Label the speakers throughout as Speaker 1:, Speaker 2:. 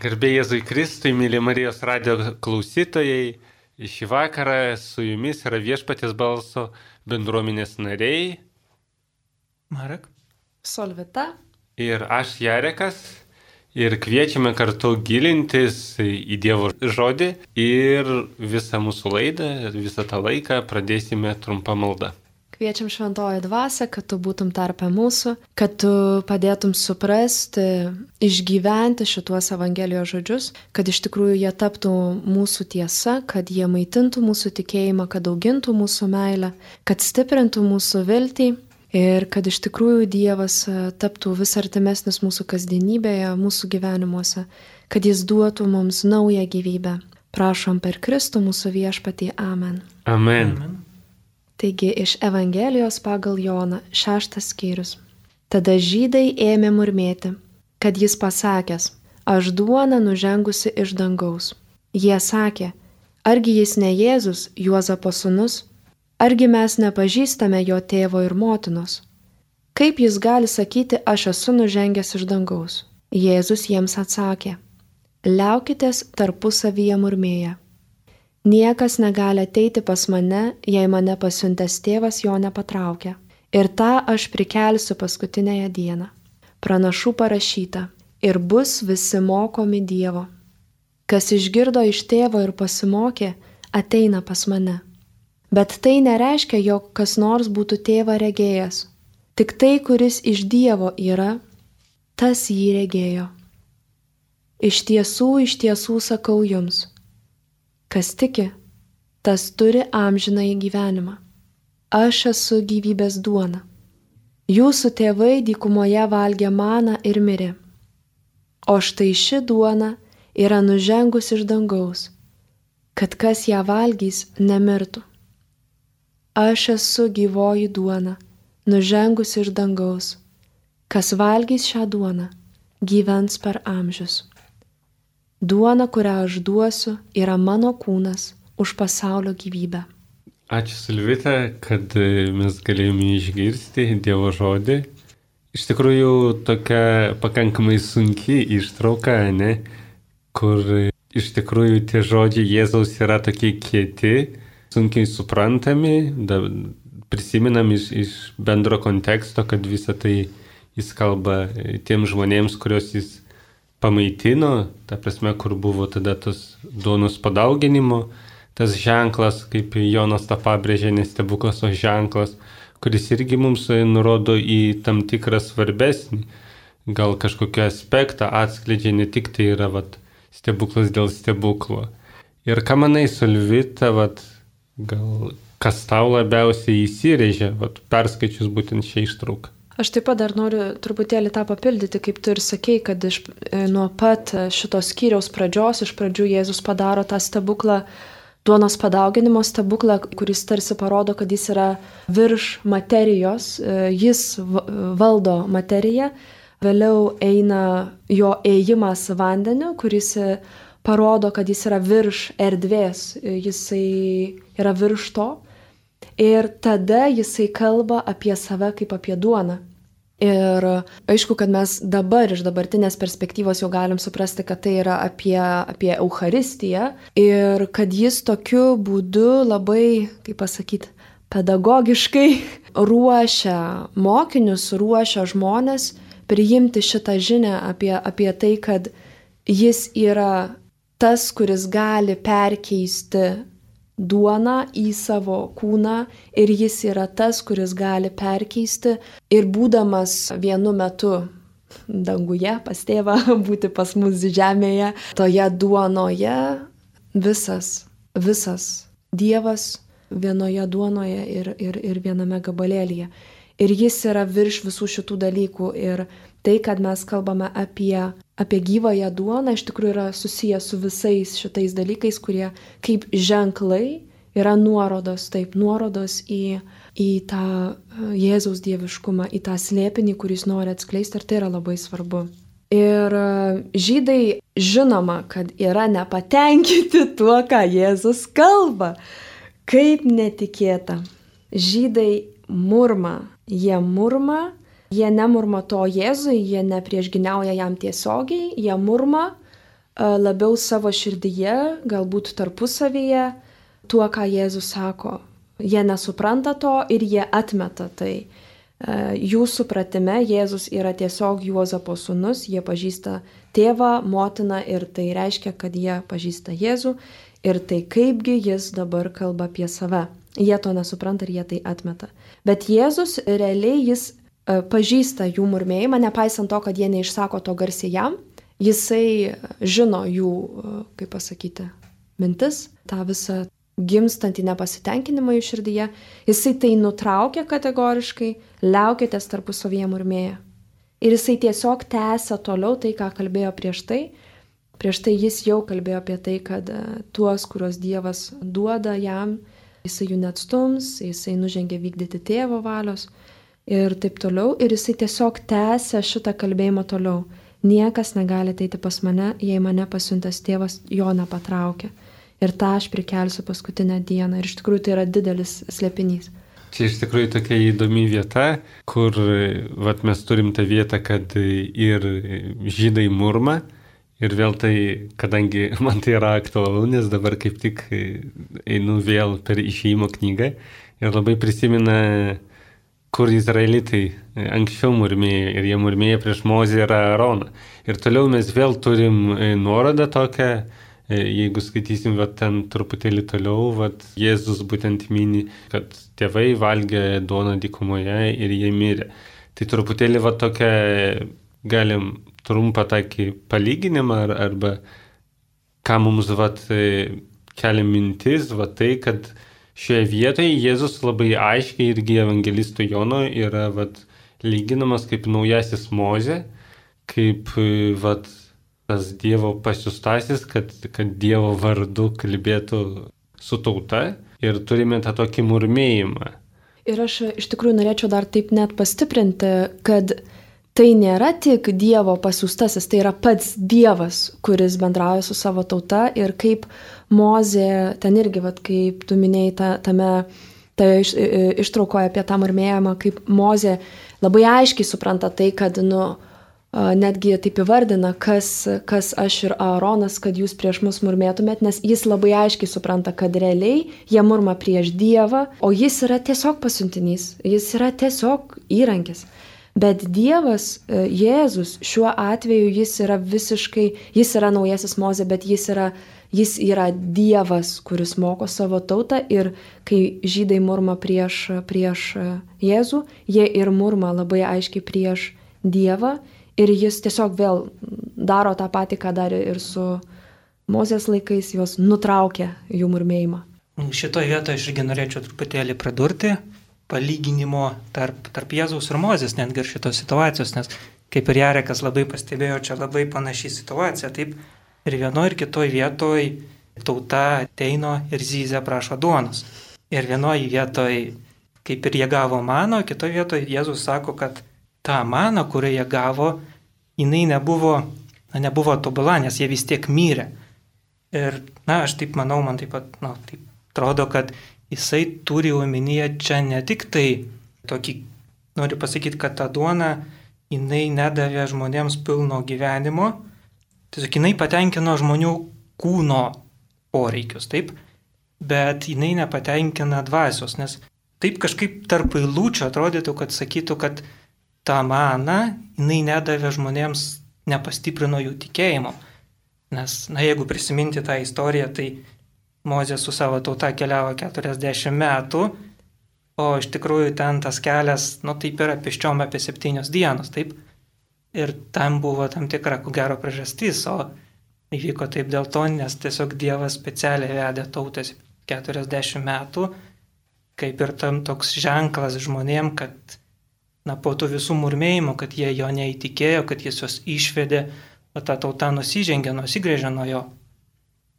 Speaker 1: Garbė Jėzui Kristui, mėly Marijos radijo klausytojai, šį vakarą su jumis yra Viešpaties balso bendruomenės nariai
Speaker 2: Marek,
Speaker 3: Solvita
Speaker 1: ir aš Jarekas ir kviečiame kartu gilintis į Dievo žodį ir visą mūsų laidą, visą tą laiką pradėsime trumpą maldą.
Speaker 3: Kviečiam šventoji dvasia, kad tu būtum tarpe mūsų, kad tu padėtum suprasti, išgyventi šituos Evangelijos žodžius, kad iš tikrųjų jie taptų mūsų tiesa, kad jie maitintų mūsų tikėjimą, kad augintų mūsų meilę, kad stiprintų mūsų viltį ir kad iš tikrųjų Dievas taptų vis artimesnis mūsų kasdienybėje, mūsų gyvenimuose, kad jis duotų mums naują gyvybę. Prašom per Kristų mūsų viešpatį. Amen.
Speaker 1: Amen.
Speaker 3: Taigi iš Evangelijos pagal Joną 6 skyrius. Tada žydai ėmė murmėti, kad jis pasakęs, aš duona nužengusi iš dangaus. Jie sakė, argi jis ne Jėzus, Juozapo sūnus, argi mes nepažįstame jo tėvo ir motinos. Kaip jis gali sakyti, aš esu nužengęs iš dangaus? Jėzus jiems atsakė, liaukitės tarpusavyje murmėję. Niekas negali ateiti pas mane, jei mane pasiuntęs tėvas jo nepatraukia. Ir tą aš prikelsiu paskutinėje dieną. Pranašų parašyta, ir bus visi mokomi Dievo. Kas išgirdo iš tėvo ir pasimokė, ateina pas mane. Bet tai nereiškia, jog kas nors būtų tėvą regėjęs. Tik tai, kuris iš Dievo yra, tas jį regėjo. Iš tiesų sakau jums. Kas tiki, tas turi amžinąjį gyvenimą. Aš esu gyvybės duona. Jūsų tėvai dykumoje valgė maną ir mirė. O štai ši duona yra nužengus iš dangaus, kad kas ją valgys nemirtų. Aš esu gyvoji duona, nužengus iš dangaus. Kas valgys šią duoną, gyvens per amžius. Duona, kurią aš duosiu, yra mano kūnas už pasaulio gyvybę.
Speaker 1: Ačiū Silvita, kad mes galėjome išgirsti Dievo žodį. Iš tikrųjų tokia pakankamai sunki ištrauka, ne? Kur iš tikrųjų tie žodžiai Jėzaus yra tokie kieti, sunkiai suprantami, prisimenam iš bendro konteksto, kad visą tai jis kalba tiems žmonėms, kuriuos jis pamaitino, ta prasme, kur buvo tada tas duonos padauginimo, tas ženklas, kaip Jonas tą pabrėžė, ne stebuklas, o ženklas, kuris irgi mums nurodo į tam tikrą svarbesnį, gal kažkokį aspektą atskleidžia, ne tik tai yra stebuklas dėl stebuklo. Ir ką manai, Solvita, gal kas tau labiausiai įsirėžė, perskaičius būtent šią ištrauką?
Speaker 3: Aš taip pat dar noriu truputėlį tą papildyti, kaip tu ir sakei, kad nuo pat šitos skyriaus pradžios, iš pradžių Jėzus padaro tą stebuklą, duonos padauginimo stebuklą, kuris tarsi parodo, kad jis yra virš materijos, jis valdo materiją, vėliau eina jo ėjimas vandeniu, kuris parodo, kad jis yra virš erdvės, jisai yra virš to. Ir tada jisai kalba apie save kaip apie duoną. Ir aišku, kad mes dabar iš dabartinės perspektyvos jau galim suprasti, kad tai yra apie Eucharistiją ir kad jis tokiu būdu labai, kaip pasakyti, pedagogiškai ruošia mokinius, ruošia žmones priimti šitą žinią apie tai, kad jis yra tas, kuris gali perkeisti duoną į savo kūną ir jis yra tas, kuris gali perkeisti ir būdamas vienu metu danguje pas tėvą, būti pas mus žemėje, toje duonoje visas Dievas vienoje duonoje ir viename gabalėlyje. Ir jis yra virš visų šitų dalykų ir tai, kad mes kalbame apie gyvąją duoną, iš tikrųjų yra susijęs su visais šitais dalykais, kurie kaip ženklai yra nuorodos į tą Jėzaus dieviškumą, į tą slėpinį, kuris nori atskleisti, ir tai yra labai svarbu. Ir žydai žinoma, kad yra nepatenkinti tuo, ką Jėzus kalba. Kaip netikėta. Žydai murma. Jie nemurma to Jėzui, jie nepriešginiauja jam tiesiogiai, jie murma labiau savo širdyje, galbūt tarpusavyje, tuo, ką Jėzus sako. Jie nesupranta to ir jie atmeta tai. Jų supratime Jėzus yra tiesiog Juozapo sūnus, jie pažįsta tėvą, motiną ir tai reiškia, kad jie pažįsta Jėzų ir tai kaipgi jis dabar kalba apie save. Jie to nesupranta ir jie tai atmeta. Bet Jėzus realiai jis pažįsta jų murmėjimą, nepaisant to, kad jie neišsako to garsiai jam. Jisai žino jų, kaip pasakyti, mintis, tą visą gimstantį nepasitenkinimą jų širdyje. Jisai tai nutraukia kategoriškai, liaukitės tarpusavyje murmėję. Ir jisai tiesiog tęsia toliau tai, ką kalbėjo prieš tai. Prieš tai jis jau kalbėjo apie tai, kad tuos, kuriuos Dievas duoda jam, jisai jų neatstums, jisai nužengia vykdyti tėvo valios ir taip toliau. Ir jisai tiesiog tęsia šitą kalbėjimą toliau. Niekas negali ateiti pas mane, jei mane pasiuntęs tėvas jo nepatraukia. Ir tą aš prikelsiu paskutinę dieną. Ir iš tikrųjų tai yra didelis slėpinys.
Speaker 1: Čia iš tikrųjų tokia įdomi vieta, kur mes turim tą vietą, kad ir žydai murma. Ir vėl tai, kadangi man tai yra aktualu, nes dabar kaip tik einu vėl per Išėjimo knygą ir labai prisimena, kur izraelitai anksčiau murmėjo ir jie murmėjo prieš Mozę ir Aaroną. Ir toliau mes vėl turim nuorodą tokią, jeigu skaitysim ten truputėlį toliau, Jėzus būtent mini, kad tėvai valgė duoną dykumoje ir jie mirė. Tai truputėlį tokia, galim trumpą tokį palyginimą arba ką mums kelia mintis, tai, kad šioje vietoje Jėzus labai aiškiai irgi evangelistų Jono yra lyginamas kaip naujasis Mozė, kaip tas Dievo pasiųstasis, kad Dievo vardu kalbėtų su tauta ir turime tą tokį murmėjimą.
Speaker 3: Ir aš iš tikrųjų norėčiau dar taip net pastiprinti, kad tai nėra tik Dievo pasiųstasis, tai yra pats Dievas, kuris bendrauja su savo tauta ir kaip Mozė, ten irgi, kaip tu minėjai ištraukoje apie tą murmėjimą, kaip Mozė labai aiškiai supranta tai, kad, netgi taip įvardina, kas aš ir Aaronas, kad jūs prieš mus murmėtumėt, nes jis labai aiškiai supranta, kad realiai jie murma prieš Dievą, o jis yra tiesiog pasiuntinys, jis yra tiesiog įrankis. Bet Dievas, Jėzus, šiuo atveju jis yra naujasis Mozė, bet jis yra Dievas, kuris moko savo tautą ir kai žydai murma prieš Jėzų, jie ir murma labai aiškiai prieš Dievą ir jis tiesiog vėl daro tą patį, ką darė ir su Mozės laikais, juos nutraukia jų murmėjimą.
Speaker 2: Šitoje vietoje aš irgi norėčiau truputėlį pridurti palyginimo tarp Jėzaus ir Mozės, netgi ir šitos situacijos, nes kaip ir Jarekas labai pastebėjo, čia labai panaši situacija, taip ir vienoje ir kitoje vietoje tauta ateina ir zyzia prašo duonos. Ir vienoje vietoje kaip ir jie gavo maną, kitoje vietoje Jėzus sako, kad ta mana, kurią jie gavo, jinai nebuvo tobula, nes jie vis tiek mirė. Ir aš taip manau, man taip pat taip atrodo, kad jisai turi omenyje čia ne tik tai tokį, noriu pasakyti, kad ta duona, jinai nedavė žmonėms pilno gyvenimo, tiesiog jinai patenkino žmonių kūno poreikius, taip, bet jinai nepatenkina dvasios, nes taip kažkaip tarp eilučių atrodytų, kad sakytų, kad ta mana, jinai nedavė žmonėms, nepastiprino jų tikėjimo. Nes, jeigu prisiminti tą istoriją, tai Mozė su savo tauta keliavo 40 metų, o iš tikrųjų ten tas kelias, taip yra pėsčiom apie 7 dienos, taip. Ir tam buvo tam tikra, ko gero, priežastis, o įvyko taip dėl to, nes tiesiog Dievas specialiai vedė tautas 40 metų, kaip ir tam toks ženklas žmonėm, kad po tų visų murmėjimų, kad jie jo neįtikėjo, kad jis juos išvedė, o ta tauta nusigrėžė nuo jo.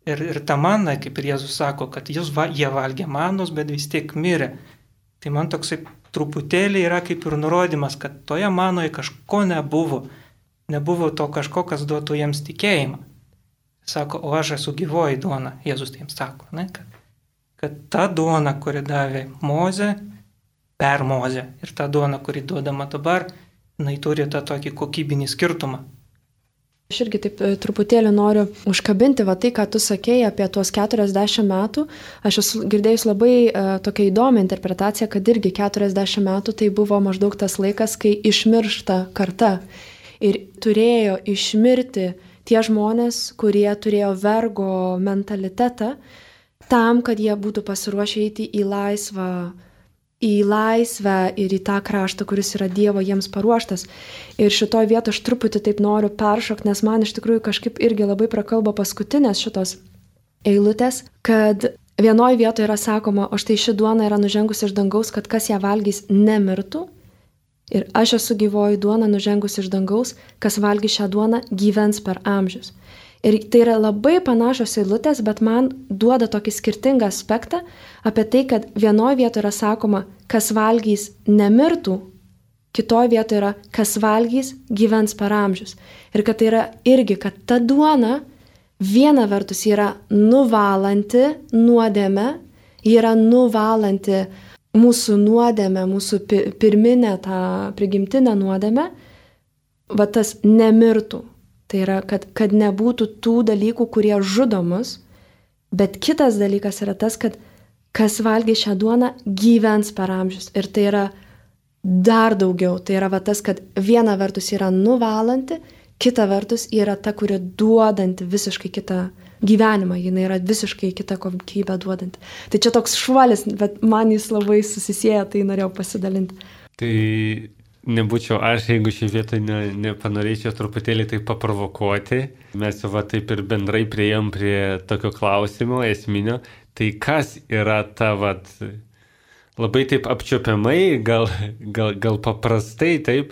Speaker 2: Ir ta mana, kaip ir Jėzus sako, kad jie valgė manos, bet vis tiek mirė. Tai man toksai truputėlį yra kaip ir nurodymas, kad toje manoje kažko nebuvo. Nebuvo to kažko, kas duotų jiems tikėjimą. Sako, o aš esu gyvoji duona, Jėzus tai jiems sako, kad ta duona, kuri davė Mozė, per Mozę, ir ta duona, kuri duodama dabar, jinai turi tą tokį kokybinį skirtumą.
Speaker 3: Aš irgi taip truputėlį noriu užkabinti tai, ką tu sakėjai apie tuos 40 metų. Aš esu girdėjus labai tokią įdomią interpretaciją, kad irgi 40 metų tai buvo maždaug tas laikas, kai išmiršta karta. Ir turėjo išmirti tie žmonės, kurie turėjo vergo mentalitetą, tam, kad jie būtų pasiruošę eiti į laisvę ir į tą kraštą, kuris yra Dievo jiems paruoštas. Ir šitoj vietoj aš truputį taip noriu peršokti, nes man iš tikrųjų kažkaip irgi labai prakalba paskutinės šitos eilutės, kad vienoj vietoje yra sakoma, o štai ši duona yra nužengusi iš dangaus, kad kas ją valgys nemirtų. Ir aš esu gyvoji duona nužengusi iš dangaus, kas valgys šią duoną gyvens per amžius. Ir tai yra labai panašios eilutės, bet man duoda tokį skirtingą aspektą apie tai, kad vienoje vietoje yra sakoma, kas valgys nemirtų, kitoje vietoje yra, kas valgys gyvens per amžius. Ir kad tai yra irgi, kad ta duona viena vertus yra nuvalanti nuodėmę, yra nuvalanti mūsų nuodėmę, mūsų pirminę tą prigimtinę nuodėmę, tas nemirtų. Tai yra, kad nebūtų tų dalykų, kurie žudo mus, bet kitas dalykas yra tas, kad kas valgys šią duoną gyvens per amžius. Ir tai yra dar daugiau. Tai yra tas, kad viena vertus yra nuvalanti, kita vertus yra ta, kuri duodanti visiškai kitą gyvenimą. Jis yra visiškai kitą kokybę duodanti. Tai čia toks šuolis, bet man jis labai susisieja, tai norėjau pasidalinti.
Speaker 1: Tai nebūčiau aš, jeigu šį vietą nepanorėčiau truputėlį tai paprovokuoti. Mes jau taip ir bendrai priėjom prie tokio klausimo esminio. Tai kas yra ta labai taip apčiuopiamai, gal paprastai taip,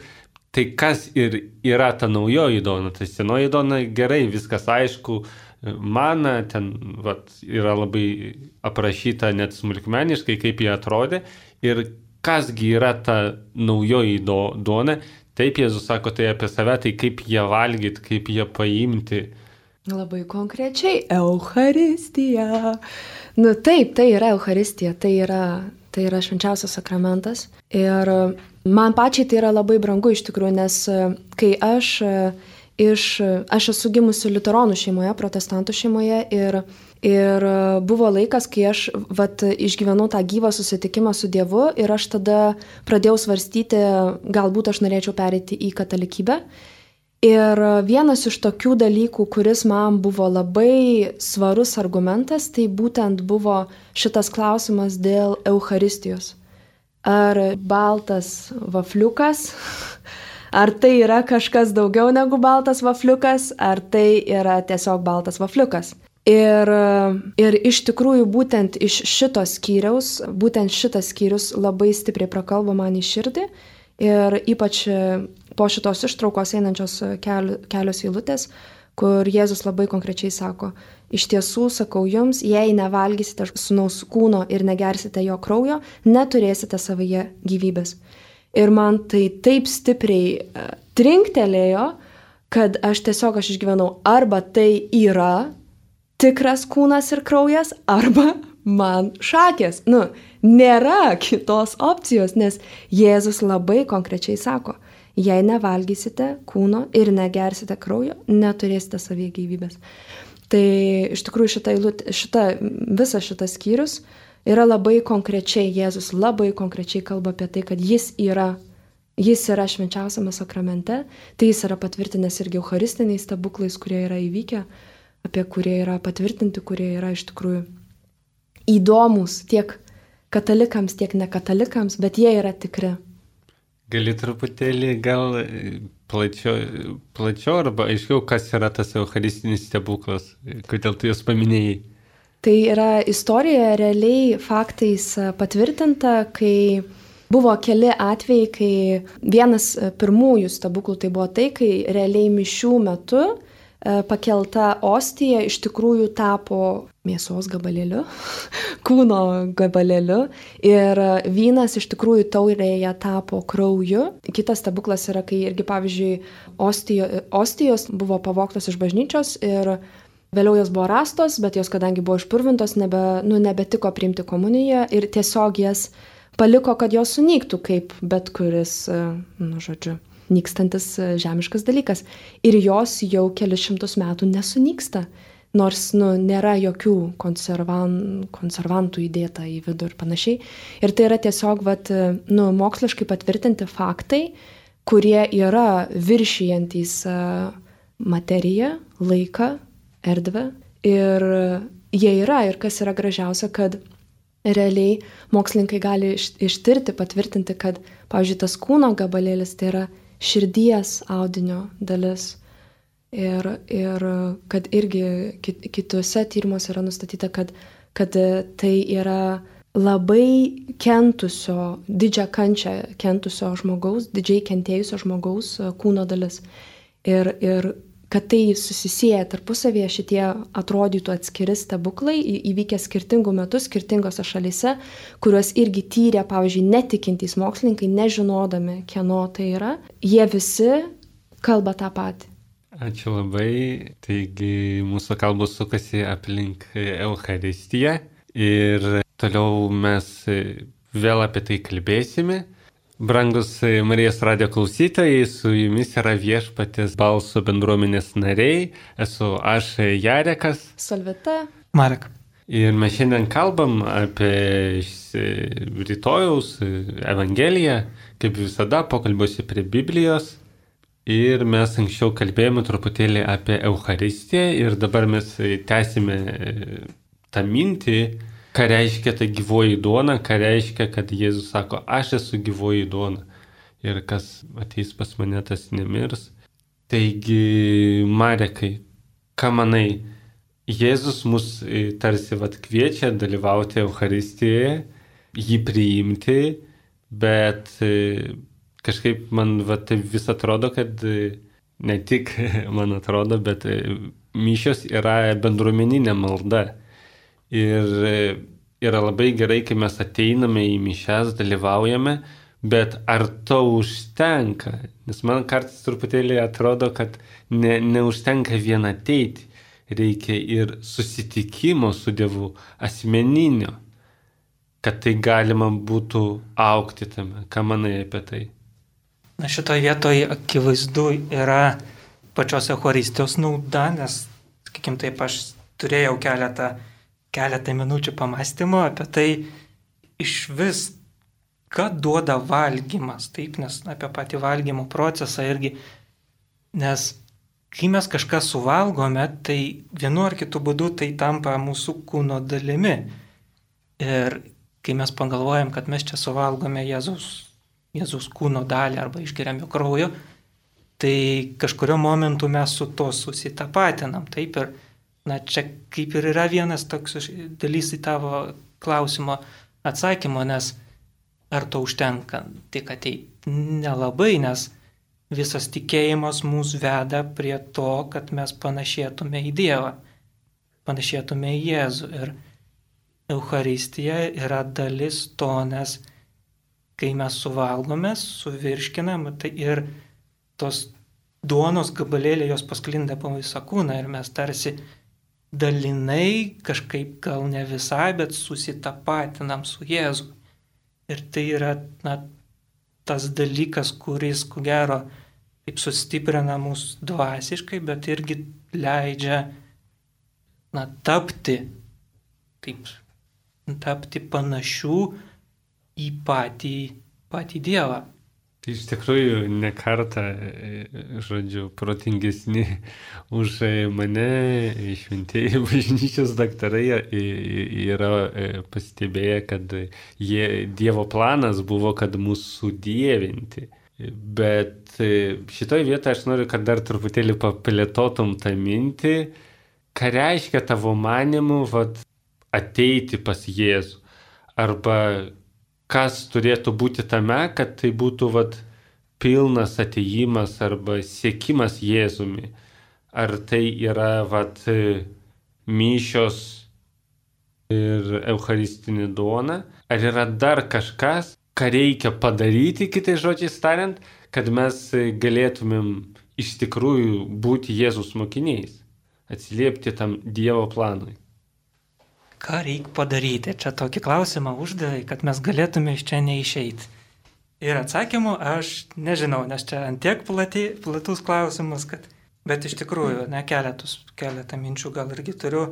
Speaker 1: tai kas ir yra ta naujoji duona. Tai senoji duona gerai, viskas aišku, mana ten yra labai aprašyta net smulkmeniškai, kaip jie atrodė. Ir kasgi yra ta naujoji duona, taip Jėzus sako tai apie save, tai kaip ją valgyti, kaip ją paimti.
Speaker 3: Labai konkrečiai, Eucharistija. Taip, tai yra Eucharistija, tai yra švenčiausias sakramentas. Ir man pačiai tai yra labai brangu iš tikrųjų, nes kai aš esu gimusi liuteronų šeimoje, protestantų šeimoje ir buvo laikas, kai aš išgyvenau tą gyvą susitikimą su Dievu ir aš tada pradėjau svarstyti, galbūt aš norėčiau pereiti į katalikybę. Ir vienas iš tokių dalykų, kuris man buvo labai svarus argumentas, tai būtent buvo šitas klausimas dėl Eucharistijos. Ar baltas vafliukas, ar tai yra kažkas daugiau negu baltas vafliukas, ar tai yra tiesiog baltas vafliukas. Ir iš tikrųjų būtent iš šitos skyriaus, būtent šitas skyrius labai stipriai prakalbo man į širdį ir ypač po šitos ištraukos einančios kelios eilutės, kur Jėzus labai konkrečiai sako, iš tiesų sakau jums, jei nevalgysite sūnaus kūno ir negersite jo kraujo, neturėsite savyje gyvybės. Ir man tai taip stipriai trinktelėjo, kad aš išgyvenau, arba tai yra tikras kūnas ir kraujas, arba man šakės. Nėra kitos opcijos, nes Jėzus labai konkrečiai sako, jei nevalgysite kūno ir negersite kraujo, neturėsite savyje gyvybės. Tai iš tikrųjų visas šitas skyrius yra labai konkrečiai, Jėzus labai konkrečiai kalba apie tai, kad jis yra švenčiausiame sakramente, tai jis yra patvirtinęs irgi eucharistiniais stebuklais, kurie yra įvykę, apie kurie yra patvirtinti, kurie yra iš tikrųjų įdomus tiek katalikams, tiek nekatalikams, bet jie yra tikri.
Speaker 1: Gali truputėlį gal plačiau arba aiškiau, kas yra tas eucharistinis stebuklas, kodėl tu jos paminėjai?
Speaker 3: Tai yra istorija realiai faktais patvirtinta, kai buvo keli atvejai, kai vienas pirmųjų stebuklų tai buvo tai, kai realiai mišių metu pakelta ostija iš tikrųjų tapo mėsos gabalėliu, kūno gabalėliu ir vynas iš tikrųjų taurėje tapo krauju. Kitas stebuklas yra, kai irgi, pavyzdžiui, ostijos buvo pavogtos iš bažnyčios ir vėliau jos buvo rastos, bet jos, kadangi buvo išpurvintos, nebetiko priimti komuniją ir tiesiog jas paliko, kad jos sunyktų kaip bet kuris, nykstantis žemiškas dalykas. Ir jos jau kelius šimtus metų nesunyksta. Nors nėra jokių konservantų įdėta į vidų ir panašiai. Ir tai yra tiesiog moksliškai patvirtinti faktai, kurie yra viršijantys materiją, laiką, erdvę. Ir jie yra. Ir kas yra gražiausia, kad realiai mokslininkai gali ištirti, patvirtinti, kad, pavyzdžiui, tas kūno gabalėlis tai yra širdies audinio dalis. Ir kad irgi kitose tyrimuose yra nustatyta, kad tai yra labai kentusio, didžią kančią kentusio žmogaus, didžiai kentėjusio žmogaus kūno dalis. Ir kad tai susisieja tarpusavėje, šitie atrodytų atskiri stebuklai, įvykę skirtingų metų, skirtingose šalyse, kuriuos irgi tyrė, pavyzdžiui, netikintys mokslininkai, nežinodami, kieno tai yra, jie visi kalba tą patį.
Speaker 1: Ačiū labai. Taigi mūsų kalbos sukasi aplink Eucharistiją ir toliau mes vėl apie tai kalbėsime. Brangus Marijos radijo klausytojai, su jumis yra Viešpaties balso bendruomenės nariai. Esu aš Jarekas.
Speaker 3: Solvita.
Speaker 2: Marek.
Speaker 1: Ir mes šiandien kalbam apie rytojaus Evangeliją, kaip visada pokalbiuose prie Biblijos. Ir mes anksčiau kalbėjome truputėlį apie Eucharistiją ir dabar mes tęsime tą mintį, ką reiškia ta gyvoji duona, ką reiškia, kad Jėzus sako, aš esu gyvoji duona ir kas ateis pas mane, tas nemirs. Taigi, Marekai, ką manai, Jėzus mus tarsi kviečia dalyvauti Eucharistijoje, jį priimti, bet kažkaip man tai vis atrodo, kad ne tik man atrodo, bet mišios yra bendruomeninė malda. Ir yra labai gerai, kai mes ateiname į mišias, dalyvaujame, bet ar to užtenka? Nes man kartais truputėlį atrodo, kad neužtenka vien ateiti. Reikia ir susitikimo su Dievu, asmeninio, kad tai galima būtų augti tame. Ką manai apie tai?
Speaker 2: Na, šitoje vietoje akivaizdu yra pačios Eucharistijos nauda, nes, sakykim taip, aš turėjau keletą minučių pamąstymo apie tai iš vis, ką duoda valgymas, taip, nes apie patį valgymo procesą irgi, nes kai mes kažką suvalgome, tai vienu ar kitu būdu tai tampa mūsų kūno dalimi. Ir kai mes pagalvojam, kad mes čia suvalgome Jėzaus kūno dalį arba išgeriam jo kraujo, tai kažkurio momentu mes su to susitapatinam. Taip ir, čia kaip ir yra vienas toks dalys į tavo klausimo atsakymo, nes ar to užtenka tik ateiti? Nelabai, nes visas tikėjimas mus veda prie to, kad mes panašėtume į Dievą, panašėtume į Jėzų. Ir Eucharistija yra dalis to, nes kai mes suvalgome, suvirškinam, tai ir tos duonos gabalėlė jos pasklinda po visą kūną ir mes tarsi dalinai, kažkaip gal ne visai, bet susitapatinam su Jėzu. Ir tai yra tas dalykas, kuris, ko gero, taip sustiprina mus dvasiškai, bet irgi leidžia tapti panašių į patį Dievą.
Speaker 1: Tai iš tikrųjų ne kartą, protingesni už mane šventieji bažnyčios daktarai yra pastebėję, kad Dievo planas buvo, kad mūsų sudievinti. Bet šitoje vietoje aš noriu, kad dar truputėlį paplėtotum tą mintį, ką reiškia tavo manimu ateiti pas Jėzų. Arba kas turėtų būti tame, kad tai būtų pilnas atėjimas arba siekimas Jėzumi. Ar tai yra mišios ir eucharistinė duona, ar yra dar kažkas, ką reikia padaryti, kitais žodžiais tariant, kad mes galėtumėm iš tikrųjų būti Jėzus mokiniais, atsiliepti tam Dievo planui.
Speaker 2: Ką reikia padaryti? Čia tokį klausimą uždavė, kad mes galėtume iš čia neišeiti. Ir atsakymų aš nežinau, nes čia antiek platus klausimas, bet iš tikrųjų, keletą minčių gal irgi turiu.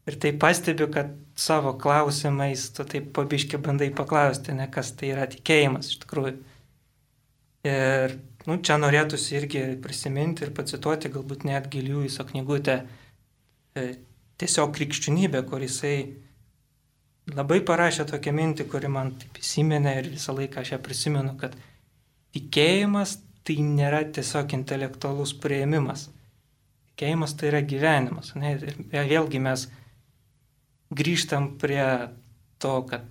Speaker 2: Ir tai pastebiu, kad savo klausimais tu taip pabiški bandai paklausti, kas tai yra tikėjimas iš tikrųjų. Ir čia norėtųsi irgi prisiminti ir pacituoti galbūt net Giliuiso knygutę Tiesiog krikščionybė, kur jisai labai parašė tokią mintį, kuri man taip įsiminė ir visą laiką aš ją prisimenu, kad tikėjimas tai nėra tiesiog intelektualus priėmimas. Tikėjimas tai yra gyvenimas. Ir vėlgi mes grįžtam prie to, kad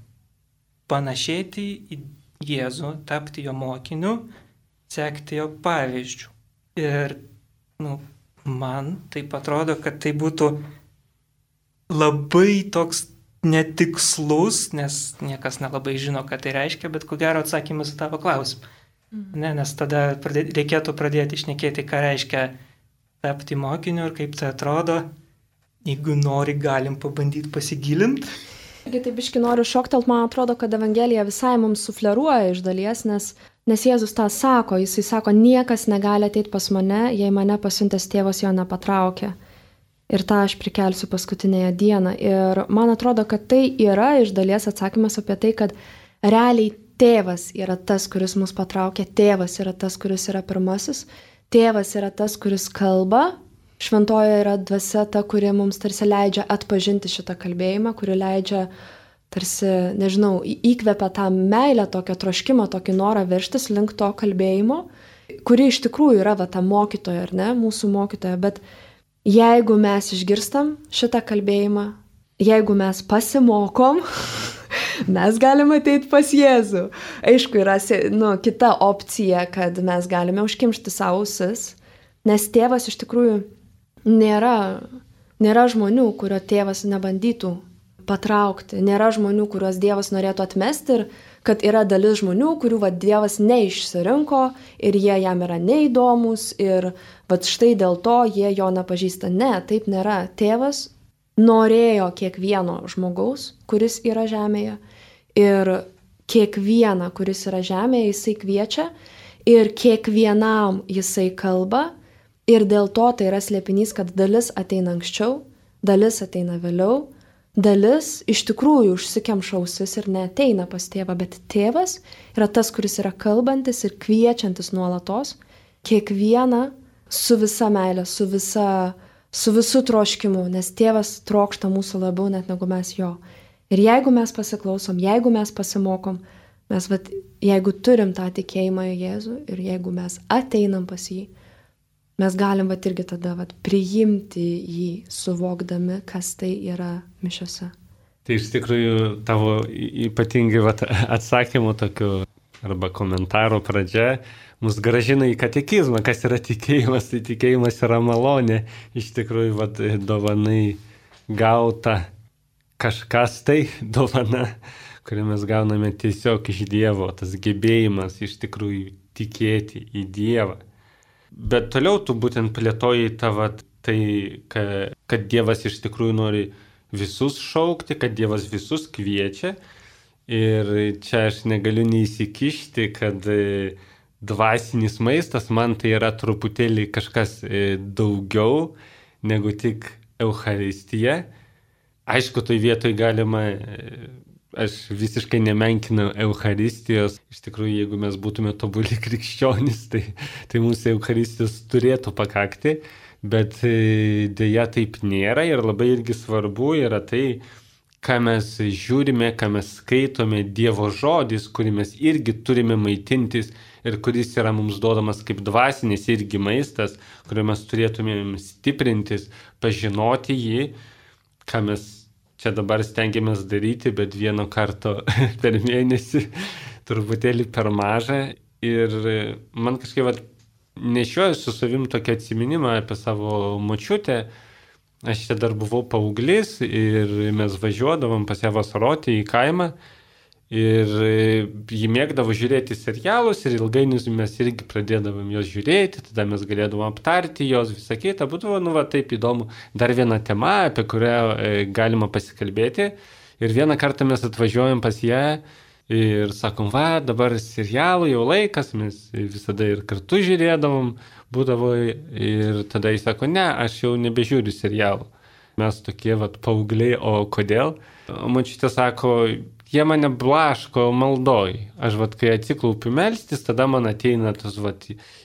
Speaker 2: panašėti į Jėzų, tapti jo mokiniu, sekti jo pavyzdžių. Ir man taip atrodo, kad tai būtų labai toks netikslus, nes niekas nelabai žino, ką tai reiškia, bet ko gero atsakymas į tavo klausimą. Nes tada reikėtų pradėti šnekėti, ką reiškia tapti mokiniu ir kaip tai atrodo. Jeigu nori, galim pabandyti pasigilinti.
Speaker 3: Taip biški noriu šoktelt, man atrodo, kad Evangelija visai mums sufleruoja iš dalies, nes Jėzus tą sako, jisai sako, niekas negali ateiti pas mane, jei mane pasiuntęs tėvas jo nepatraukia. Ir tą aš prikelsiu paskutinėje dieną. Ir man atrodo, kad tai yra iš dalies atsakymas apie tai, kad realiai tėvas yra tas, kuris mus patraukia, tėvas yra tas, kuris yra pirmasis, tėvas yra tas, kuris kalba, šventojoje yra dvasia ta, kuri mums tarsi leidžia atpažinti šitą kalbėjimą, kuri leidžia tarsi, įkvepia tą meilę, tokią troškimą, tokį norą veržtis link to kalbėjimo, kuri iš tikrųjų yra ta mokytoja, ar ne, mūsų mokytoja, bet jeigu mes išgirstam šitą kalbėjimą, jeigu mes pasimokom, mes galime ateiti pas Jėzų. Aišku, yra kita opcija, kad mes galime užkimšti savo ausis, nes tėvas iš tikrųjų nėra žmonių, kurio tėvas nebandytų patraukti, nėra žmonių, kuriuos Dievas norėtų atmesti ir kad yra dalis žmonių, kurių Dievas neišsirinko ir jie jam yra neįdomus ir štai dėl to jie jo nepažįsta. Ne, taip nėra. Tėvas norėjo kiekvieno žmogaus, kuris yra žemėje ir kiekvieną, kuris yra žemėje, jisai kviečia ir kiekvienam jisai kalba ir dėl to tai yra slėpinys, kad dalis ateina anksčiau, dalis ateina vėliau, dalis iš tikrųjų užsikemša ausis ir neateina pas tėvą, bet tėvas yra tas, kuris yra kalbantis ir kviečiantis nuolatos, kiekvieną su visa meilė, su visu troškimu, nes tėvas trokšta mūsų labiau net negu mes jo. Ir jeigu mes pasiklausom, jeigu mes pasimokom, mes jeigu turim tą tikėjimą į Jėzų ir jeigu mes ateinam pas jį, mes galim irgi tada priimti jį, suvokdami, kas tai yra mišiose.
Speaker 1: Tai iš tikrųjų tavo ypatingai atsakymų tokių arba komentaro pradžia mus gražina į katekizmą, kas yra tikėjimas. Tai tikėjimas yra malonė, iš tikrųjų dovanai gauta kažkas tai dovana, kurią mes gauname tiesiog iš Dievo, tas gebėjimas iš tikrųjų tikėti į Dievą. Bet toliau tu būtent plėtoji tai, kad Dievas iš tikrųjų nori visus šaukti, kad Dievas visus kviečia. Ir čia aš negaliu neįsikišti, kad dvasinis maistas man tai yra truputėlį kažkas daugiau negu tik Eucharistija. Aišku, tai vietoj galima... Aš visiškai nemenkinu Eucharistijos. Iš tikrųjų, jeigu mes būtume tobuli krikščionys, tai mums Eucharistijos turėtų pakakti, bet dėja taip nėra ir labai irgi svarbu yra tai, ką mes žiūrime, ką mes skaitome, Dievo žodis, kurį mes irgi turime maitintis ir kuris yra mums duodamas kaip dvasinis irgi maistas, kuriuo mes turėtumėm stiprintis, pažinoti jį, ką mes čia dabar stengiamės daryti, bet vieno karto per mėnesį truputėlį per mažą. Ir man kažkaip nešioju su savim tokį atsiminimą apie savo močiutę. Aš čia dar buvau paauglys ir mes važiuodavom pas ją vasaroti į kaimą. Ir ji mėgdavo žiūrėti serialus ir ilgainiui mes irgi pradėdavom jos žiūrėti, tada mes galėdavom aptarti jos, visą kitą. Būdavo, taip įdomu, dar viena tema, apie kurią galima pasikalbėti. Ir vieną kartą mes atvažiuojam pas ją Ir sakom, va, dabar serialų jau laikas, mes visada ir kartu žiūrėdavom, būdavo ir tada jis sako, ne, aš jau nebežiūriu serialų. Mes tokie, va, paaugliai, o kodėl? O močiutė sako, jie mane blaško maldoj. Aš, va, kai atsiklaupiu melstis, tada man ateina tas, va,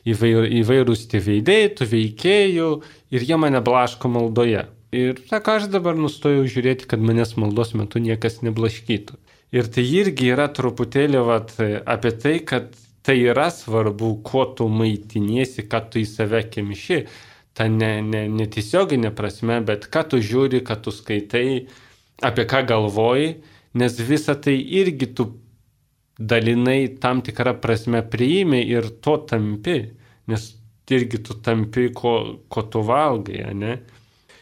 Speaker 1: įvairūs tie veidai, tų veikėjų ir jie mane blaško maldoje. Ir sako, aš dabar nustojau žiūrėti, kad manęs maldos metu niekas neblaškytų. Ir tai irgi yra truputėlį vat, apie tai, kad tai yra svarbu, kuo tu maitiniesi, ką tu į save kemši. Ta netiesioginė prasme, bet ką tu žiūri, ką tu skaitai, apie ką galvoji, nes visą tai irgi tu dalinai tam tikrą prasme priimi ir to tampi, nes irgi tu tampi, ko tu valgai, ne?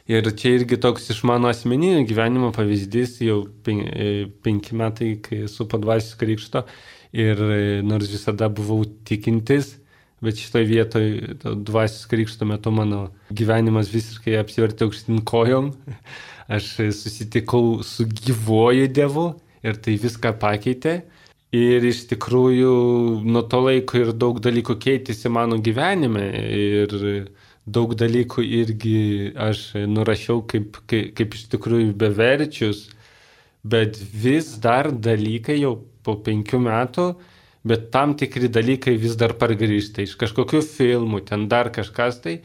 Speaker 1: Ir čia irgi toks iš mano asmeninio gyvenimo pavyzdys, jau 5 metai, kai esu po dvasios krikšto ir nors visada buvau tikintis, bet šitoje vietoje dvasios krikšto metu mano gyvenimas visiškai apsivertė aukštyn kojom. Aš susitikau su gyvuoju Dievu ir tai viską pakeitė. Ir iš tikrųjų nuo to laiko ir daug dalykų keitėsi mano gyvenime ir daug dalykų irgi aš nurašiau kaip iš tikrųjų beverčius, bet vis dar dalykai jau po 5 metų, bet tam tikri dalykai vis dar pargrįžta iš kažkokių filmų, ten dar kažkas tai,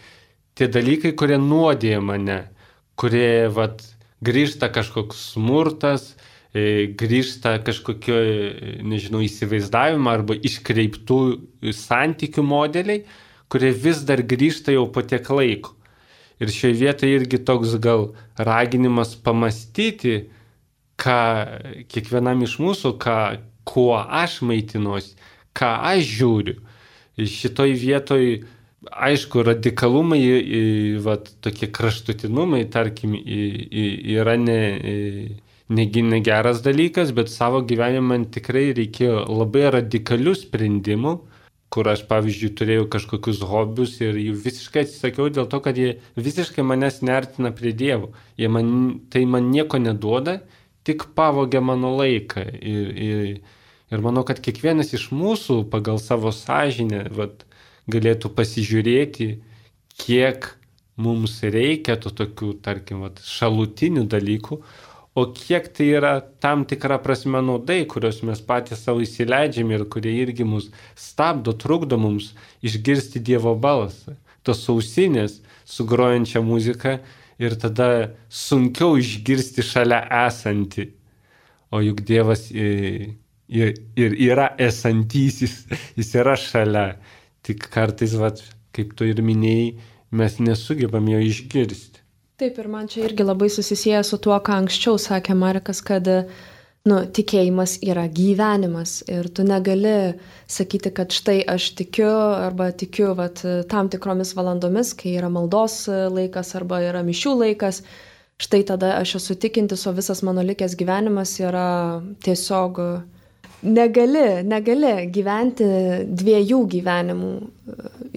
Speaker 1: tie dalykai, kurie nuodėja mane, kurie vat, grįžta kažkoks smurtas, grįžta kažkokio, nežinau, įsivaizdavimo arba iškreiptų santykių modeliai, kurie vis dar grįžta jau po tiek laiko. Ir šioje vietoje irgi toks gal raginimas pamastyti, ką kiekvienam iš mūsų, kuo aš maitinuosi, ką aš žiūriu. Šitoj vietoje, aišku, radikalumai, tokie kraštutinumai, tarkim, yra negeras dalykas, bet savo gyvenime man tikrai reikėjo labai radikalių sprendimų, kur aš, pavyzdžiui, turėjau kažkokius hobius ir jų visiškai atsisakiau dėl to, kad jie visiškai manęs neartina prie Dievo. Tai man nieko neduoda, tik pavogia mano laiką. Ir manau, kad kiekvienas iš mūsų pagal savo sąžinę galėtų pasižiūrėti, kiek mums reikia tų tokių, tarkim, šalutinių dalykų, o kiek tai yra tam tikra prasme naudai, kurios mes patys savo įsileidžiame ir kurie irgi mus stabdo, trukdo mums išgirsti Dievo balsą. Tos ausinės su grojančia muzika ir tada sunkiau išgirsti šalia esantį. O juk Dievas ir yra esantysis, jis yra šalia. Tik kartais, kaip tu ir minėjai, mes nesugebam jo išgirsti.
Speaker 3: Taip, ir man čia irgi labai susisieja su tuo, ką anksčiau sakė Marekas, kad tikėjimas yra gyvenimas ir tu negali sakyti, kad štai aš tikiu arba tikiu tam tikromis valandomis, kai yra maldos laikas arba yra mišių laikas, štai tada aš esu tikintis, o visas mano likęs gyvenimas yra tiesiog negali gyventi 2 gyvenimų,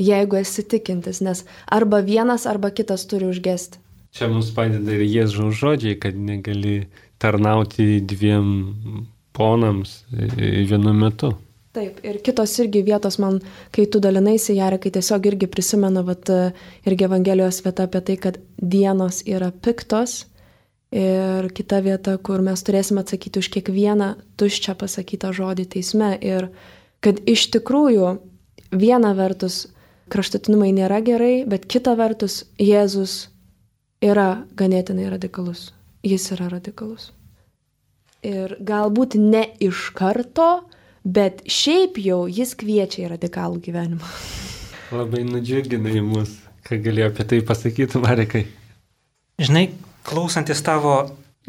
Speaker 3: jeigu esi tikintis, nes arba vienas, arba kitas turi užgesti.
Speaker 1: Čia mums padeda ir Jėzaus žodžiai, kad negali tarnauti 2 ponams vienu metu.
Speaker 3: Taip, ir kitos irgi vietos man, kai tu dalinaisi, Jarekai, tiesiog irgi prisimenu irgi Evangelijos vieta apie tai, kad dienos yra piktos ir kita vieta, kur mes turėsime atsakyti už kiekvieną tuščią pasakytą žodį teisme ir kad iš tikrųjų viena vertus kraštutinumai nėra gerai, bet kita vertus Jėzus yra ganėtinai radikalus. Jis yra radikalus. Ir galbūt ne iš karto, bet šiaip jau jis kviečia į radikalų gyvenimą.
Speaker 1: Labai nudžiuginai mus. Ką galėjo apie tai pasakyti, Marekai?
Speaker 2: Žinai, klausantis tavo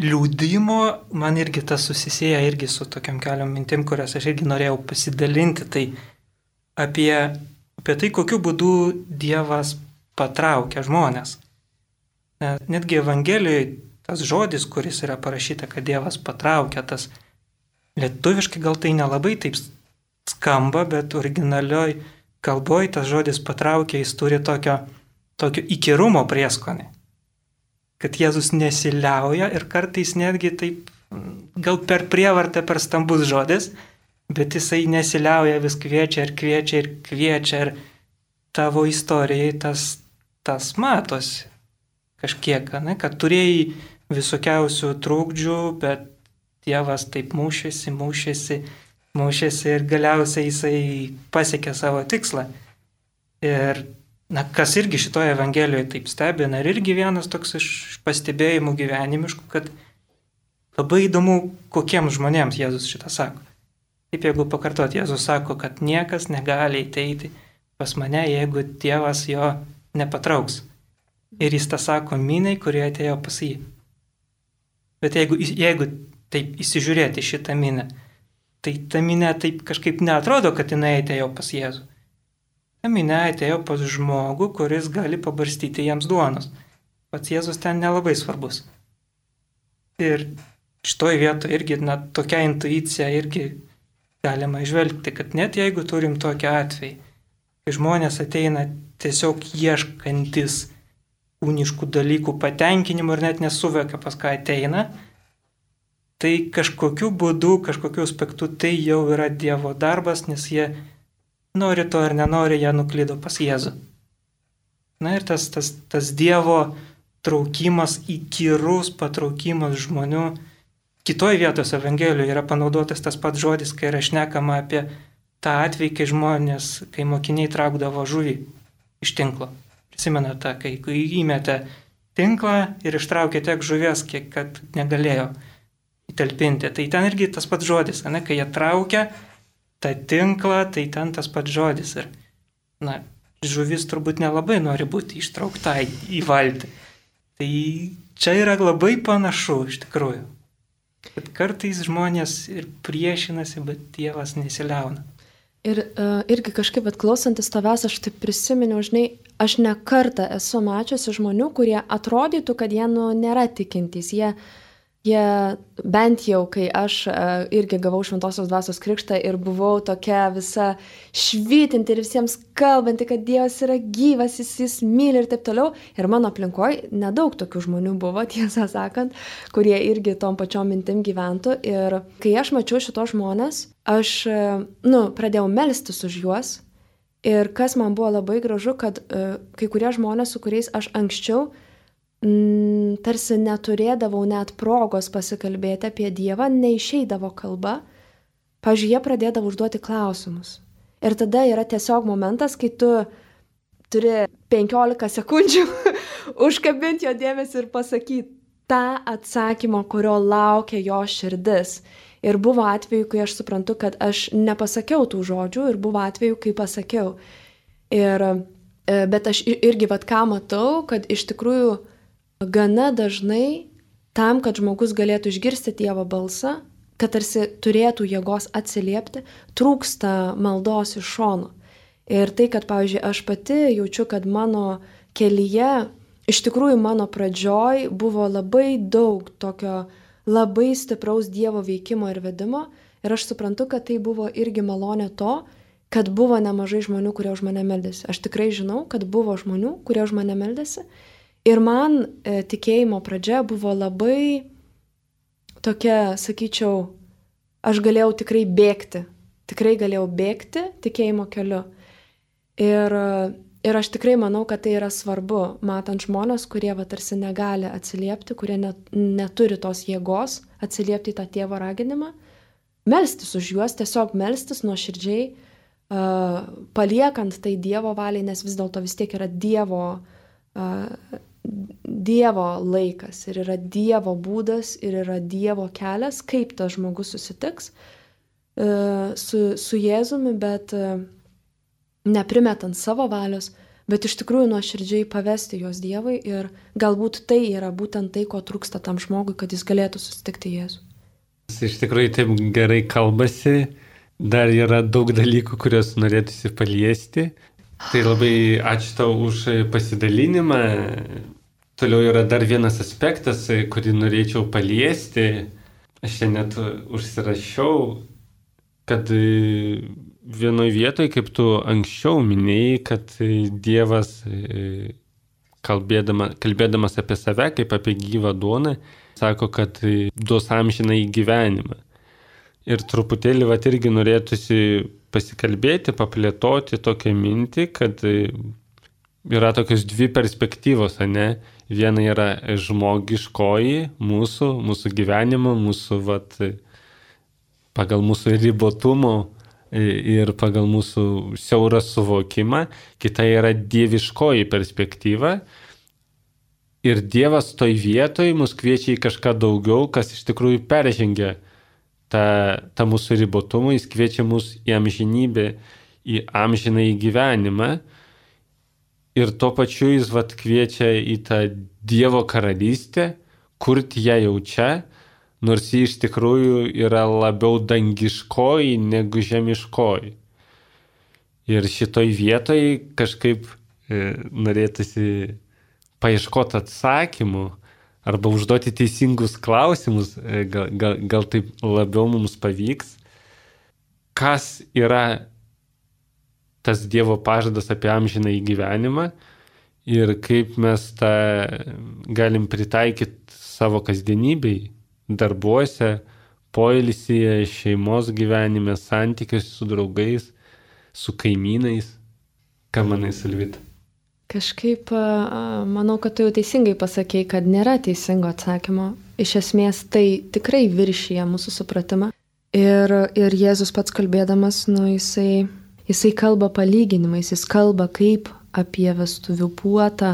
Speaker 2: liūdimo, man irgi tas susisieja irgi su tokiam keliom mintim, kurias aš irgi norėjau pasidalinti. Tai apie tai, kokiu būdu Dievas patraukia žmonės. Netgi Evangelijoje tas žodis, kuris yra parašyta, kad Dievas patraukia, tas lietuviškai gal tai nelabai taip skamba, bet originalioj kalboj tas žodis patraukia, jis turi tokio įkyrumo prieskonį. Kad Jėzus nesiliauja ir kartais netgi taip gal per prievartą, per stambus žodis, bet jisai nesiliauja, vis kviečia ir tavo istorijai tas matosi kažkiek, ne, kad turėjai visokiausių trūkdžių, bet Dievas taip mūšėsi ir galiausiai jisai pasiekė savo tikslą. Ir kas irgi šitoje Evangelijoje taip stebina, ir irgi vienas toks iš pastebėjimų gyvenimiškų, kad labai įdomu, kokiems žmonėms Jėzus šitą sako. Taip, jeigu pakartot, Jėzus sako, kad niekas negali ateiti pas mane, jeigu Dievas jo nepatrauks. Ir jis tą sako miniai, kurie atėjo pas jį. Bet jeigu taip įsižiūrėti šitą minę, tai ta minė taip kažkaip neatrodo, kad jinai atėjo pas Jėzų. Ta minė atėjo pas žmogų, kuris gali pabarstyti jiems duonos. Pats Jėzus ten nelabai svarbus. Ir šitoj vietoje irgi tokia intuicija irgi galima išvelgti, kad net jeigu turim tokią atvejį, kai žmonės ateina tiesiog ieškantis kūniškų dalykų patenkinimo ir net nesuvokia, pas ką ateina, tai kažkokiu būdu, kažkokiu aspektu tai jau yra Dievo darbas, nes jie nori to ar nenori, jie nuklydo pas Jėzų. Na ir tas Dievo traukimas, įkyrus patraukimas žmonių. Kitoje vietoje Evangelijoje yra panaudotas tas pats žodis, kai yra šnekama apie tą atvejį, kai mokiniai traukdavo žuvį iš tinklo. Prisimenate, kai įmetė tinklą ir ištraukė tiek žuvies, kiek kad negalėjo įtalpinti. Tai ten irgi tas pats žodis, ne? Kai jie traukia tą tinklą, tai ten tas pats žodis. Ir, žuvis turbūt nelabai nori būti ištraukta į valtį. Tai čia yra labai panašu iš tikrųjų. Kad kartais žmonės ir priešinasi, bet Dievas nesiliauna.
Speaker 3: Ir irgi kažkaip atklausantis tavęs, aš taip prisiminiau, žinai, aš ne kartą esu mačiusi žmonių, kurie atrodytų, kad jie nėra tikintys. Jie bent jau, kai aš irgi gavau Šventosios Dvasios krikštą ir buvau tokia visa švytinti ir visiems kalbanti, kad Dievas yra gyvas, jis myli ir taip toliau. Ir mano aplinkoje nedaug tokių žmonių buvo, tiesą sakant, kurie irgi tom pačiom mintim gyventų. Ir kai aš mačiau šitos žmonės, aš pradėjau melstis už juos. Ir kas man buvo labai gražu, kad kai kurie žmonės, su kuriais aš anksčiau tarsi neturėdavau net progos pasikalbėti apie Dievą, neišeidavo kalba, pavyzdžiui, jie pradėdavo užduoti klausimus. Ir tada yra tiesiog momentas, kai tu turi 15 sekundžių užkabinti jo dėmesį ir pasakyti tą atsakymą, kurio laukia jo širdis. Ir buvo atveju, kai aš suprantu, kad aš nepasakiau tų žodžių, ir buvo atveju, kai pasakiau. Bet aš irgi ką matau, kad iš tikrųjų gana dažnai tam, kad žmogus galėtų išgirsti Dievo balsą, kad tarsi turėtų jėgos atsiliepti, trūksta maldos iš šono. Ir tai, kad, pavyzdžiui, aš pati jaučiu, kad mano kelyje, iš tikrųjų mano pradžioj buvo labai daug tokio labai stipraus Dievo veikimo ir vedimo. Ir aš suprantu, kad tai buvo irgi malonė to, kad buvo nemažai žmonių, kurie už mane meldėsi. Aš tikrai žinau, kad buvo žmonių, kurie už mane meldėsi. Ir man tikėjimo pradžia buvo labai tokia, sakyčiau, aš galėjau tikrai bėgti tikėjimo keliu. Ir aš tikrai manau, kad tai yra svarbu, matant žmonės, kurie tarsi negali atsiliepti, kurie neturi tos jėgos atsiliepti į tą tėvo raginimą, melstis už juos, tiesiog melstis nuoširdžiai, paliekant tai Dievo valiai, nes vis dėlto vis tiek yra Dievo laikas ir yra Dievo būdas ir yra Dievo kelias, kaip tas žmogus susitiks su Jėzumi, bet neprimetant savo valios, bet iš tikrųjų nuoširdžiai pavesti juos Dievui ir galbūt tai yra būtent tai, ko trūksta tam žmogui, kad jis galėtų susitikti Jėzų.
Speaker 1: Iš tikrųjų taip gerai kalbasi, dar yra daug dalykų, kuriuos norėtųsi paliesti. Tai labai ačiū tau už pasidalinimą. Toliau yra dar vienas aspektas, kurį norėčiau paliesti. Aš čia net užsirašiau, kad vienoje vietoje, kaip tu anksčiau minėjai, kad Dievas, kalbėdamas apie save, kaip apie gyvą duoną, sako, kad duos amžinąjį gyvenimą. Ir truputėlį irgi norėtųsi pasikalbėti, paplėtoti tokią mintį, kad yra tokios dvi perspektyvos, ne? Viena yra žmogiškoji mūsų gyvenimo, pagal mūsų ribotumo ir pagal mūsų siaurą suvokimą. Kita yra dieviškoji perspektyva. Ir Dievas toj vietoj mus kviečia į kažką daugiau, kas iš tikrųjų peržengia tą mūsų ribotumą. Jis kviečia mus į amžinybę, į amžinąjį gyvenimą. Ir tuo pačiu jis kviečia į tą Dievo karalystę, kurti ją jau čia, nors ji iš tikrųjų yra labiau dangiškoji negu žemiškoji. Ir šitoj vietoj kažkaip norėtųsi paieškoti atsakymų arba užduoti teisingus klausimus, gal taip labiau mums pavyks, kas yra tas Dievo pažadas apie amžinąjį gyvenimą ir kaip mes tą galim pritaikyti savo kasdienybei, darbuose, poilsyje, šeimos gyvenime, santykiuose su draugais, su kaimynais. Ką manai, Silvita?
Speaker 3: Kažkaip manau, kad tu jau teisingai pasakei, kad nėra teisingo atsakymo. Iš esmės tai tikrai viršyje mūsų supratimą. Ir Jėzus pats kalbėdamas, jisai kalba palyginimais, jis kalba kaip apie vestuvių puotą,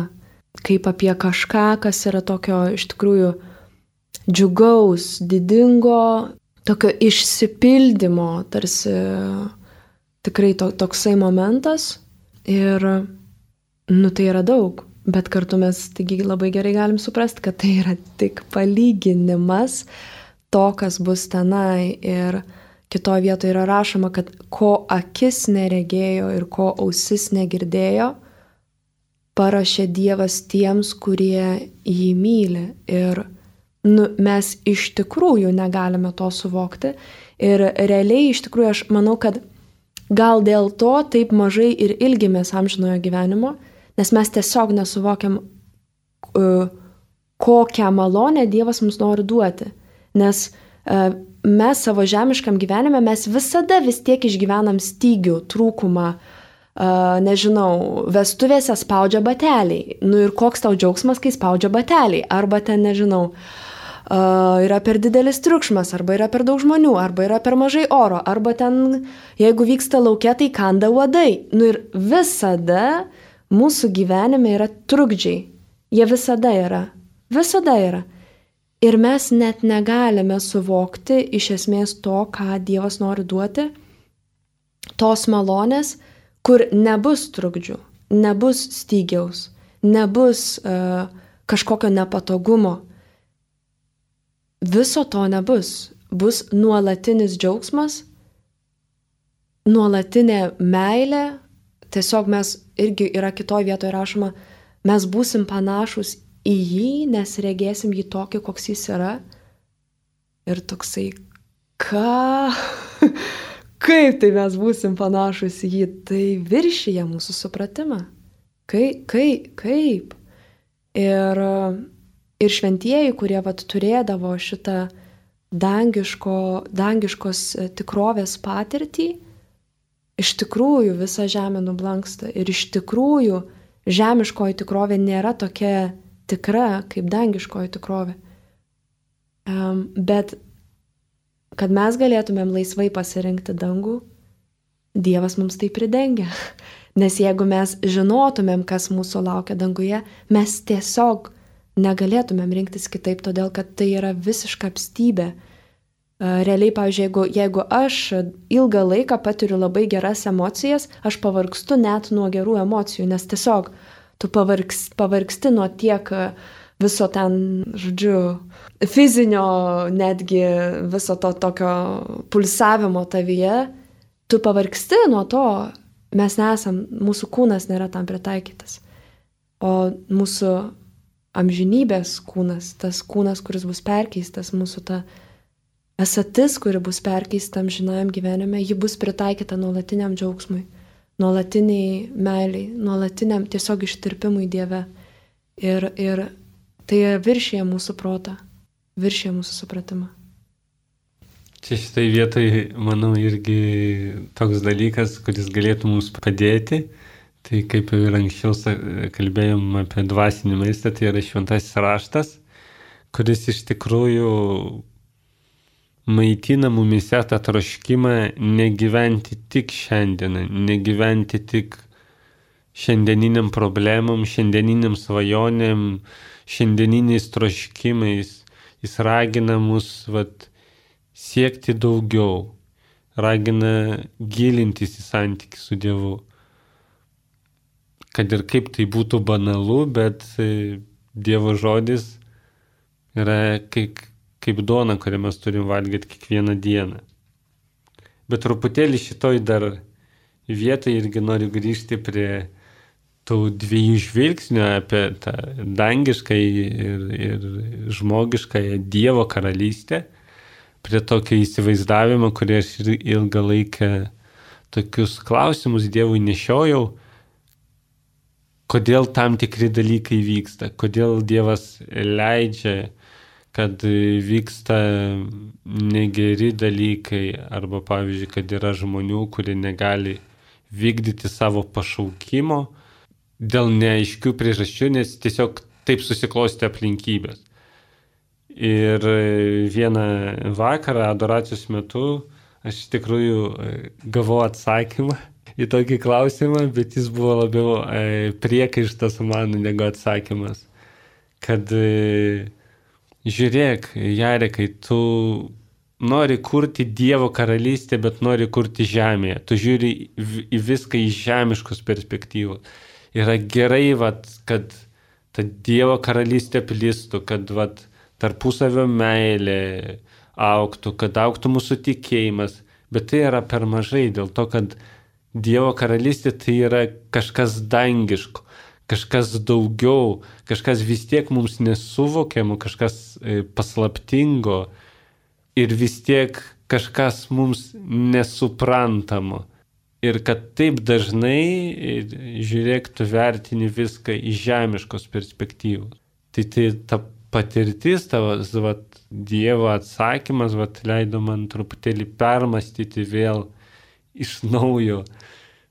Speaker 3: kaip apie kažką, kas yra tokio iš tikrųjų džiugaus, didingo, tokio išsipildymo, tarsi tikrai toksai momentas. Ir tai yra daug, bet kartu mes taigi labai gerai galim suprasti, kad tai yra tik palyginimas to, kas bus tenai. Ir kitoje vietoje yra rašoma, kad ko akis neregėjo ir ko ausis negirdėjo, parašė Dievas tiems, kurie jį myli. Ir mes iš tikrųjų negalime to suvokti. Ir realiai iš tikrųjų aš manau, kad gal dėl to taip mažai ir ilgimės amžinojo gyvenimo, nes mes tiesiog nesuvokiam, kokią malonę Dievas mums nori duoti. Nes mes savo žemiškam gyvenime mes visada vis tiek išgyvenam stygių, trūkumą, vestuvėse spaudžia bateliai. Ir koks tau džiaugsmas, kai spaudžia bateliai? Arba ten, yra per didelis triukšmas, arba yra per daug žmonių, arba yra per mažai oro, arba ten, jeigu vyksta lauke, tai kanda uodai. Ir visada mūsų gyvenime yra trukdžiai. Jie visada yra. Visada yra. Ir mes net negalime suvokti iš esmės to, ką Dievas nori duoti, tos malonės, kur nebus trukdžių, nebus stygiaus, nebus kažkokio nepatogumo. Viso to nebus. Bus nuolatinis džiaugsmas, nuolatinė meilė. Tiesiog mes irgi yra kitoje vietoje rašoma, mes būsim panašus į jį, nes regėsim jį tokį, koks jis yra. Ir toksai, kaip tai mes būsim panašus į jį, tai viršyje mūsų supratimą. Kaip? Ir šventieji, kurie turėdavo šitą dangiškos tikrovės patirtį, iš tikrųjų visa žemė nublanksta. Ir iš tikrųjų žemiškoji tikrovė nėra tokia tikra kaip dangiškoji tikrovė. Bet kad mes galėtumėm laisvai pasirinkti dangų, Dievas mums tai pridengia. Nes jeigu mes žinotumėm, kas mūsų laukia danguje, mes tiesiog negalėtumėm rinktis kitaip, todėl kad tai yra visiška apstybė. Realiai, pavyzdžiui, jeigu aš ilgą laiką patiriu labai geras emocijas, aš pavargstu net nuo gerų emocijų, nes tiesiog tu pavargsti nuo tiek viso ten, fizinio netgi viso to tokio pulsavimo tavyje, tu pavargsti nuo to, mūsų kūnas nėra tam pritaikytas. O mūsų amžinybės kūnas, tas kūnas, kuris bus perkeistas, mūsų ta esatis, kuri bus perkeista amžinajam gyvenime, ji bus pritaikyta nuolatiniam džiaugsmui, nuolatiniai meiliai, nuolatiniam tiesiog ištirpimui Dieve. Ir tai viršyje mūsų protą, viršyje mūsų supratimą.
Speaker 1: Čia šitai vietai, manau, irgi toks dalykas, kuris galėtų mums padėti. Tai kaip ir anksčiau kalbėjom apie dvasinį maistą, tai yra šventasis raštas, kuris iš tikrųjų maitina mumise tą troškimą negyventi tik šiandieną, negyventi tik šiandieniniam problemom, šiandieniniam svajonėm, šiandieniniais troškimais. Jis ragina mus siekti daugiau, ragina gilintis į santykį su Dievu. Kad ir kaip tai būtų banalu, bet Dievo žodis yra kaip duona, kurią mes turim valgyti kiekvieną dieną. Bet truputėlį šitoj dar vietoj irgi noriu grįžti prie tų dviejų žvilgsnių apie tą dangišką ir žmogišką Dievo karalystę, prie tokio įsivaizdavimo, kurį aš ilgą laiką tokius klausimus Dievui nešiojau, kodėl tam tikri dalykai vyksta, kodėl Dievas leidžia, kad vyksta negeri dalykai, arba pavyzdžiui, kad yra žmonių, kurie negali vykdyti savo pašaukimo dėl neaiškių priežasčių, nes tiesiog taip susiklostė aplinkybės. Ir vieną vakarą adoracijos metu aš iš tikrųjų gavau atsakymą į tokį klausimą, bet jis buvo labiau priekaištas man negu atsakymas. Kad žiūrėk, Jarekai, tu nori kurti Dievo karalystę, bet nori kurti žemėje. Tu žiūri į viską iš žemiškos perspektyvos. Yra gerai, kad ta Dievo karalystė plistų, kad tarpusavio meilė augtų, kad augtų mūsų tikėjimas. Bet tai yra per mažai, dėl to, kad Dievo karalystė tai yra kažkas dangiško, kažkas daugiau, kažkas vis tiek mums nesuvokiamo, kažkas paslaptingo ir vis tiek kažkas mums nesuprantamo. Ir kad taip dažnai, žiūrėk, tu vertini viską iš žemiškos perspektyvos. Tai ta patirtis, tavas Dievo atsakymas leido man truputėlį permastyti vėl iš naujo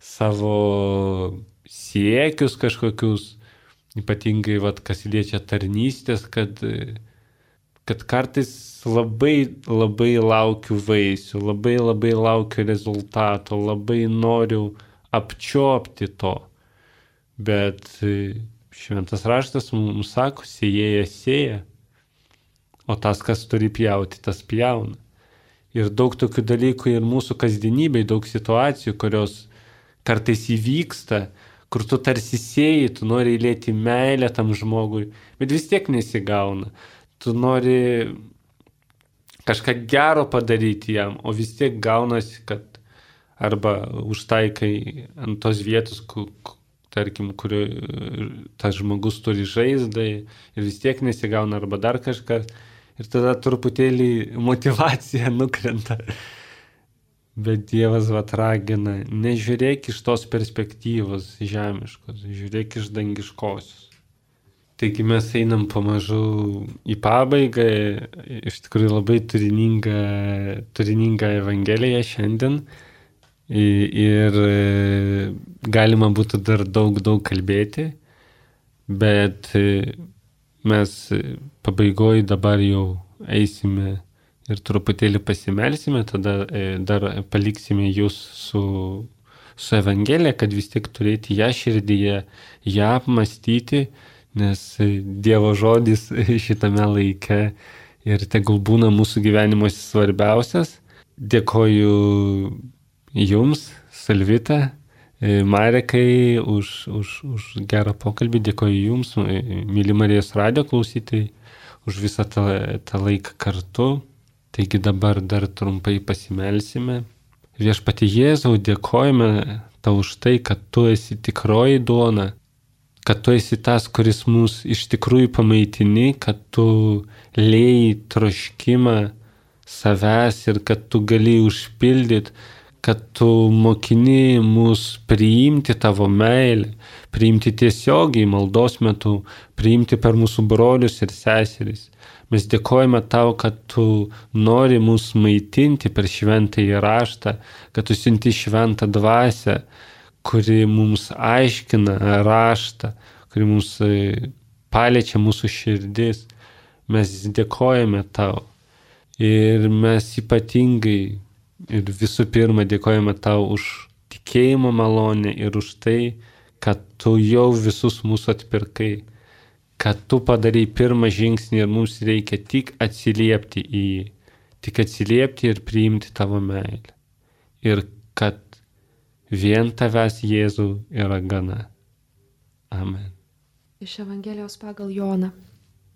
Speaker 1: savo siekius kažkokius, ypatingai kas liečia tarnystės, kad kartais labai laukiu vaisių, labai laukiu rezultato, labai noriu apčiopti to. Bet šventas raštas mums sako, sėjėjas sėja, o tas, kas turi pjauti, tas pjauna. Ir daug tokių dalykų ir mūsų kasdienybėj, daug situacijų, kurios kartais įvyksta, kur tu tarsi sėjai, tu nori įlieti meilę tam žmogui, bet vis tiek nesigauna. Tu nori kažką gero padaryti jam, o vis tiek gaunasi, kad arba užtaikai ant tos vietos, tarkim, kur tas žmogus turi žaizdą ir vis tiek nesigauna, arba dar kažkas. Ir tada truputėlį motyvacija nukrenta. Bet Dievas ragina, nežiūrėk iš tos perspektyvos žemiškos, žiūrėk iš dangiškosios. Taigi mes einam pamažu į pabaigą, iš tikrųjų labai turininga Evangelija šiandien. Ir galima būtų dar daug kalbėti, bet mes pabaigoje dabar jau eisime ir truputėlį pasimelsime, tada dar paliksime jūs su Evangelija, kad vis tiek turėti ją širdyje, ją apmastyti, nes Dievo žodis šitame laike ir tegul būna mūsų gyvenimuose svarbiausias. Dėkoju jums, Salvita, Marekai, už gerą pokalbį. Dėkoju jums, myli Marijos radijo klausytojai, už visą tą laiką kartu. Taigi dabar dar trumpai pasimelsime. Viešpatie Jėzau, dėkojame tau už tai, kad tu esi tikroji duona, kad tu esi tas, kuris mus iš tikrųjų pamaitini, kad tu lėjai troškimą savęs ir kad tu gali užpildyti kad tu mokini mus priimti tavo meilę, priimti tiesiogiai maldos metu, priimti per mūsų brolius ir seseris. Mes dėkojame tau, kad tu nori mus maitinti per šventąjį raštą, kad tu siunti šventą dvasią, kuri mums aiškina raštą, kuri mums paliečia mūsų širdis. Mes dėkojame tau ir mes ypatingai ir visų pirma dėkojame tau už tikėjimo malonę ir už tai, kad tu jau visus mūsų atpirkai, kad tu padarai pirmą žingsnį ir mums reikia tik atsiliepti į jį, tik atsiliepti ir priimti tavo meilę. Ir kad vien tavęs Jėzau yra gana. Amen.
Speaker 3: Iš Evangelijos pagal Joną.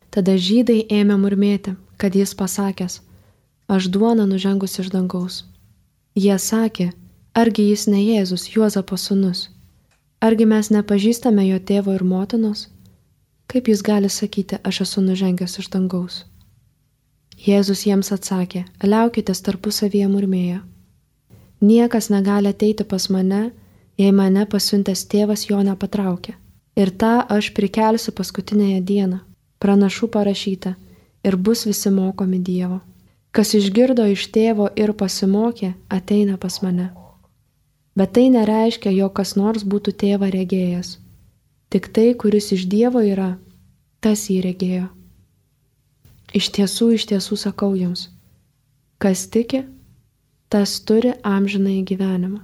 Speaker 3: Tada žydai ėmė murmėti, kad jis pasakęs, aš duona nužengus iš dangaus. Jie sakė, argi jis ne Jėzus, Juozapo sūnus? Argi mes nepažįstame jo tėvo ir motinos? Kaip jis gali sakyti, aš esu nužengęs iš dangaus? Jėzus jiems atsakė, liaukitės tarpusavyje murmėję. Niekas negali ateiti pas mane, jei mane pasiuntęs tėvas jo nepatraukė. Ir tą aš prikelsiu paskutinėje dieną. Pranašų parašyta, ir bus visi mokomi Dievo. Kas išgirdo iš tėvo ir pasimokė, ateina pas mane. Bet tai nereiškia, jog kas nors būtų tėvą regėjęs. Tik tai, kuris iš Dievo yra, tas jį regėjo. Iš tiesų sakau jums, kas tiki, tas turi amžinąjį gyvenimą.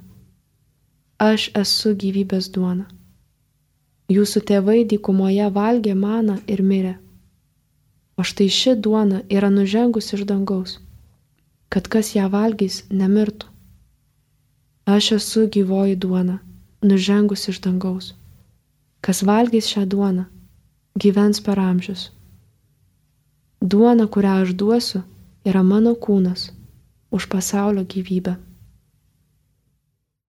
Speaker 3: Aš esu gyvybės duona. Jūsų tėvai dykumoje valgė maną ir mirė. O štai ši duona yra nužengus iš dangaus, kad kas ją valgys, nemirtų. Aš esu gyvoji duona, nužengus iš dangaus. Kas valgys šią duoną, gyvens per amžius. Duona, kurią aš duosiu, yra mano kūnas už pasaulio gyvybę.